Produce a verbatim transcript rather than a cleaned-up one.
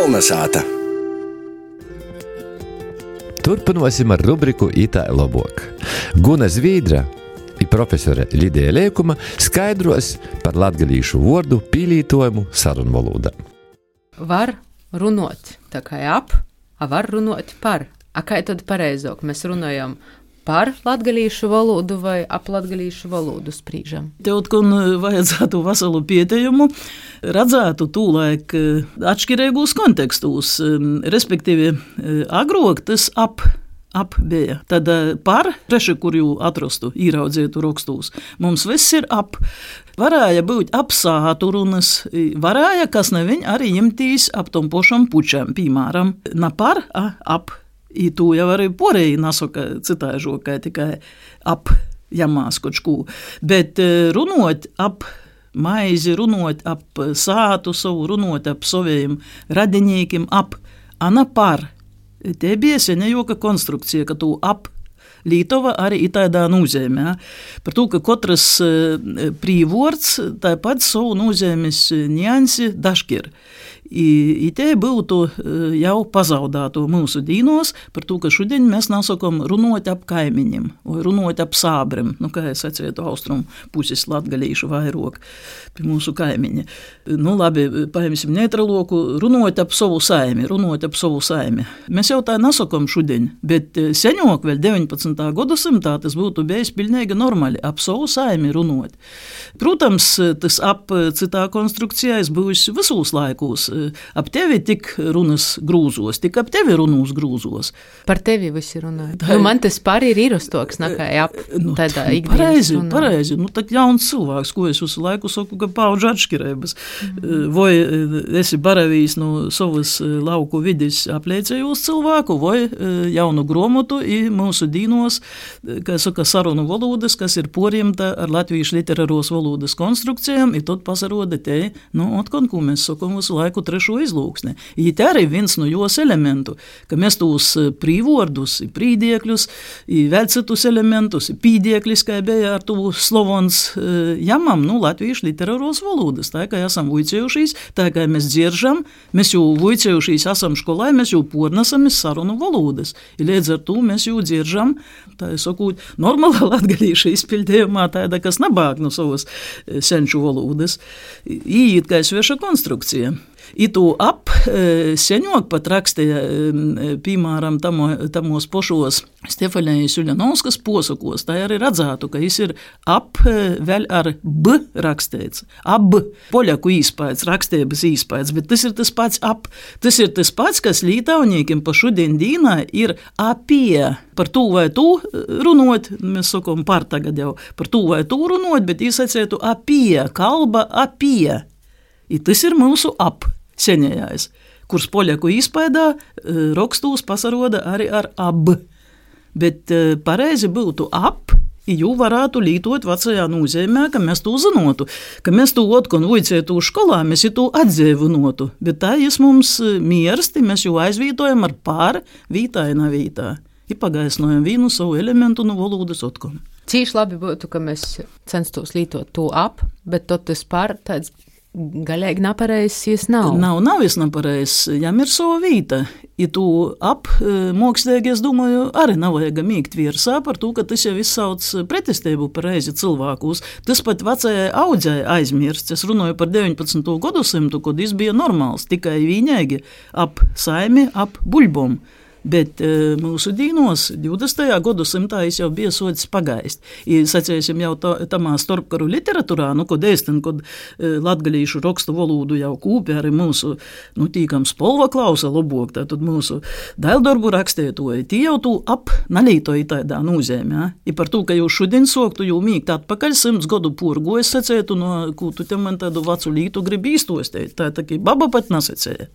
Kolnesāta. Turpināsim ar rubriku Itā labāk. Guna Zvīdra i profesore Lidija Liekuma skaidros par latgalīšu vārdu pīlītojumu sarunvalodā. Var runot tā kā ap, a var runot par. A kā tad pareizāk mēs runājam par latgalīšu valodu vai ap latgalīšu valodu sprīžam? Tev kon vajadzētu veselu pietejumu, redzētu tūlaik atšķirīgos kontekstos, respektīvi agrāk tas ap, ap bija. Tad par, reši, kur jū atrastu, īraudzētu rakstos, mums viss ir ap. Varēja būt ap sātu runas, varēja, kas neviņ arī jemtīs ap tom pošam pučam, piemēram, na par, a, ap. I tu jau arī porēji nasaka citāžokai, tikai ap jamās kočkū. Bet runot ap maizi, runot ap sātu savu, runot ap saviem radinīkim, ap ana par. Te bija senejoka konstrukcija, ka tu ap Lītova arī ir tādā nozīmē. Ja? Par to, ka katrs prīvords tāpat savu nozīmes niansi dažkir. I, i te būtu jau pazaudāto mūsu dīnos par to, ka šodien mēs nasakam runot ap kaimiņiem vai runot ap sābrim, nu, kā es atsvietu austrumu puses latgalīšu vairāk pie mūsu kaimiņa. Nu, labi, paimsim neutraloku, runot ap savu saimi, runot ap savu saimi. Mēs jau tā nasakam šodien, bet seņok vēl deviņpadsmitā gadsimtā tas būtu bijis pilnīgi normāli ap savu saimi runot. Protams, tas ap citā konstrukcijā es būs visos laikos. Ap tevi tik runas grūzos, tik ap tevi runos grūzos. Par tevi visi runāja. Tā, nu, man tas par ir īrastoks, nekā ap nu, tādā ikdienas pareizi, runā. Pareizi, nu tak jauns cilvēks, ko es visu laiku saku, ka paudžu atšķirības. Mm. Vai esi baravījis no savas lauku vidis apliecējos cilvēku, vai jaunu gromotu i mūsu dīnos, kā saka, sarunu valodas, kas ir porjemta ar latviešu literāros valodas konstrukcijām, i tad pasaroda te, nu, otkon, ko mēs sakam visu laiku trešo izlūksni. I te arī viens no jos elementu, ka mēs tos prīvordus, prīdiekļus, i vēl citus elementus, pīdiekļus, kā bija ar tu slovons jamam, nu, latviešu literāros valodas. Tā, kā esam vuicējušīs, tā, kā mēs dzieržam, mēs jau vuicējušīs esam školai, mēs jau pornesam sarunu valodas. I līdz ar to mēs jau dzieržam, tā ir sakūt, normāla latgalīša izpildējumā tāda, kas nabāk no savas senču valodas. Īīt kā sveša konstrukcija. I tu ap seņok pat rakstīja, piemēram, tamo, tamos pošos Stefanijas Uļanovskas posakos, tā arī redzētu, ka jis ir ap vēl ar b rakstīts. Ab, poļaku īspēds, rakstības īspēds, bet tas ir tas pats ap. Tas ir tas pats, kas lītaunīkiem pa šodien dīnā ir apie. Par to vai tu runot, mēs sakam par tagad jau, par to vai tu runot, bet jis atsētu apie, kalba apie. I tas ir mūsu ap. Seņējais, kurs poļaku izpaidā rakstūs pasaroda arī ar ab. Bet pareizi būtu ap, jū varētu lītot vecajā nozīmē, ka mēs to zinotu, ka mēs to otkon vuicētu školā, mēs to atdzīvinotu. Bet tā jas mums miersti, mēs jau aizvītojam ar pār, vītāina vītā. I pagaisnojam vīnu savu elementu no valodas otkon. Cīši labi būtu, ka mēs censtos lītot to ap, bet tot tas pār tāds galīgi nepareizs, jis nav. Nav, nav jis nepareizs, jam ir sava vīta. I tu ap mokslīgi, es domāju, arī nav vajag mīgt virsā par to, ka tas jau izsauc pretestību pareizi cilvēkus. Tas pat vecajai audzei aizmirsts. Es runāju par deviņpadsmito gadsimtu, kad jis bija normāls, tikai viņēgi ap saimi, ap buļbom. Bet e, mūsu dīnos divdesmitajā gadsimtā jau bija socis pagaist. I, sacēsim jau tā, tamā starpkaru literatūrā, nu, kod ēstin, kod e, latgalīšu rakstu valodu jau kūpi arī mūsu, nu, tīkam spolva klausa lobok, tātad mūsu daildarbu rakstētoji, tī jau tu ap nalītoji tādā nozīmē. Ja? I par to, ka jau šodien soktu jau mīgt atpakaļ simts gadu purgu, es sacētu, no, ko tu te man tādu vacu lītu gribi īstostēt. Tā tā, ka baba pat nasacēja.